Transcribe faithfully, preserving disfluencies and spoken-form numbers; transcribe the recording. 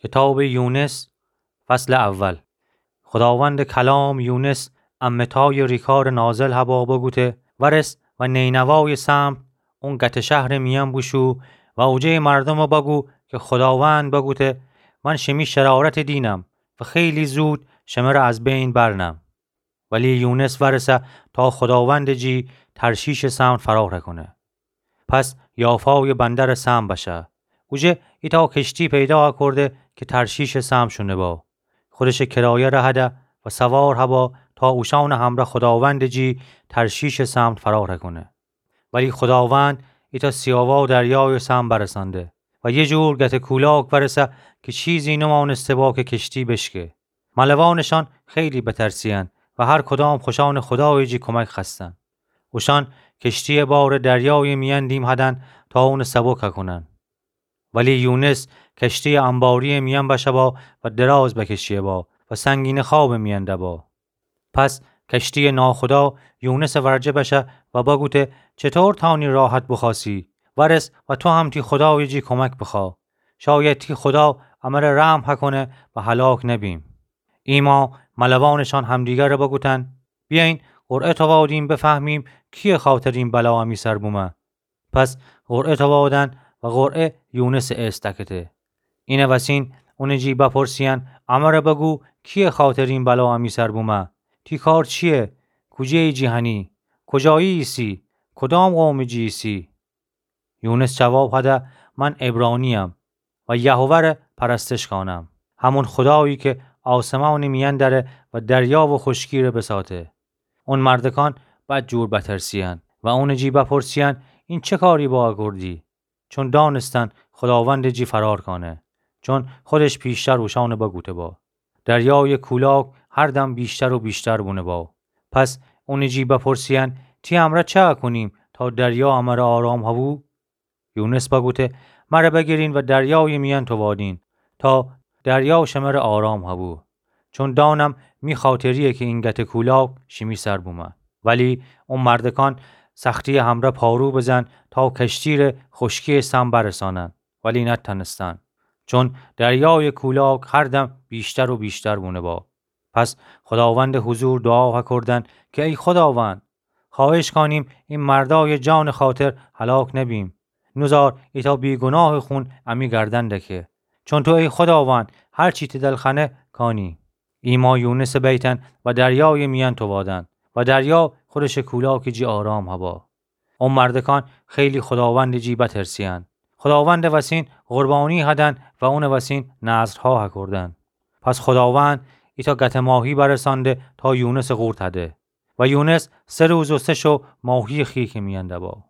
کتابٚ یونس، فصلٚ اول. خوداوندٚ کلام یونس امه تای ریکارٚ نازل هبا بوگوته: ورس و نینوایٚ سمت، اون گته شهرٚ میأن بوشو و اوجه‌یٚ مردومٚ بوگو کی خوداوند بوگوته: من شیمی شرارتٚ دینم و خیلی زود شمره از بین برنم. ولی یونس ورسه تا خوداوندٚ جی ترشیشٚ سمت فرار کونه. پس یافایٚ بندرٚ سمت بشه. اوجه ایتأ کشتی پیدا کرده کی ترشیشٚ سمت شونه با. خودشٚ کرایه رهده و سوار هبا تا اوشانٚ همره خوداوندٚ جی ترشیشٚ سمت فرار کونه. ولی خوداوند ایتأ سیاوا دریایٚ سمت برسانده و یه جور گته کولاک ورسه کی چیزی نمانسته با کی کشتی بشکه. ملوانشان خیلی بترسیأن و هر کدام خوشانٚ خودایٚ جی کمک خوأستن. اوشان کشتیٚ بارٚ دریایٚ میأن دیم هدن تا اونٚ سبک کونن. ولی یونس کشتیٚ انباریٚ میأن بشه با و دراز بکشیه با و سنگینٚ خوابٚ میأن ده با. پس کشتیٚ ناخدا یونسٚ ورجه بشه و بگوته: چطور تانی راحت بخوأسی؟ ورس و تو هم تی خدایٚ جی کمک بخوا. شاید تی خدا امره رحم هکونه و هلاک نبیم. ایما ملوانشان همدیگره بگوتن: بیاین قرعه توادیم بفهمیم کیه خاطر این بلا امی سر بومه. پس قرعه توادن و قرعه یونسٚ ایست دکته. اینه وسین اونٚ جی بپرسیأن: امره بگو کیه خاطر این بلا امی سر بومه؟ تی کار چیه؟ کوجه‌یٚ جی هنی؟ کجایی ایسی؟ کدام قومٚ جی ایسی؟ یونس جواب هده: من عبرانی‌یم و یهوه ره پرستش کانم، همون خدایی کی آسمانٚ میأن دره و دریا و خشکی ره بساته. اون مردکان بدجور بترسیأن و اونٚ جی بپرسیأن: این چه کاری با کردی؟ چون دانستن خداوندٚ جی فرار کانه، چون خودش پیشتر اوشانٚ بگوته با. دریایٚ کولاک هر دم بیشتر و بیشتر بونه با. پس اونٚ جی بپرسیأن: تی امره چه کونیم تا دریا امره آرام هبو؟ یونس بگوته: مره بگیرین و دریایٚ میأن تووادین تا دریا شمره آرام هبو. چون دانم می خاطریه کی این گته کولاک شیمی سر بومه. ولی او مردکان سختیٚ همره پارو بزن تا کشتی ره خشکیٚ سم برسانن، ولی نتأنستن، چون دریایٚ کولاک هر دم بیشتر و بیشتر بونه با. پس خداوندٚ حضور دعا هکردن کی ای خداوند، خواهش کانیم این مردایٚ جانٚ خاطر هلاک نبیم. نوزار ایتأ بیگناهٚ خون امی گردن دکه. چون تو ای خداوند هر چی تی دل خأنه کانی. ایما یونسٚ بیتن و دریایٚ میأن تووادن و دریا خودشٚ کولاکٚ جی آرام هبا. او مردکان خیلی خداوندٚ جی بترسیأن. خداوندٚ وسین قربانی هدن و اونٚ وسین نذرها هکردن. پس خداوند ایتأ گته ماهی برسانده تا یونسٚ قورت هده. و یونس سه روز و سه شو ماهیٚ خیکٚ میأن دبا.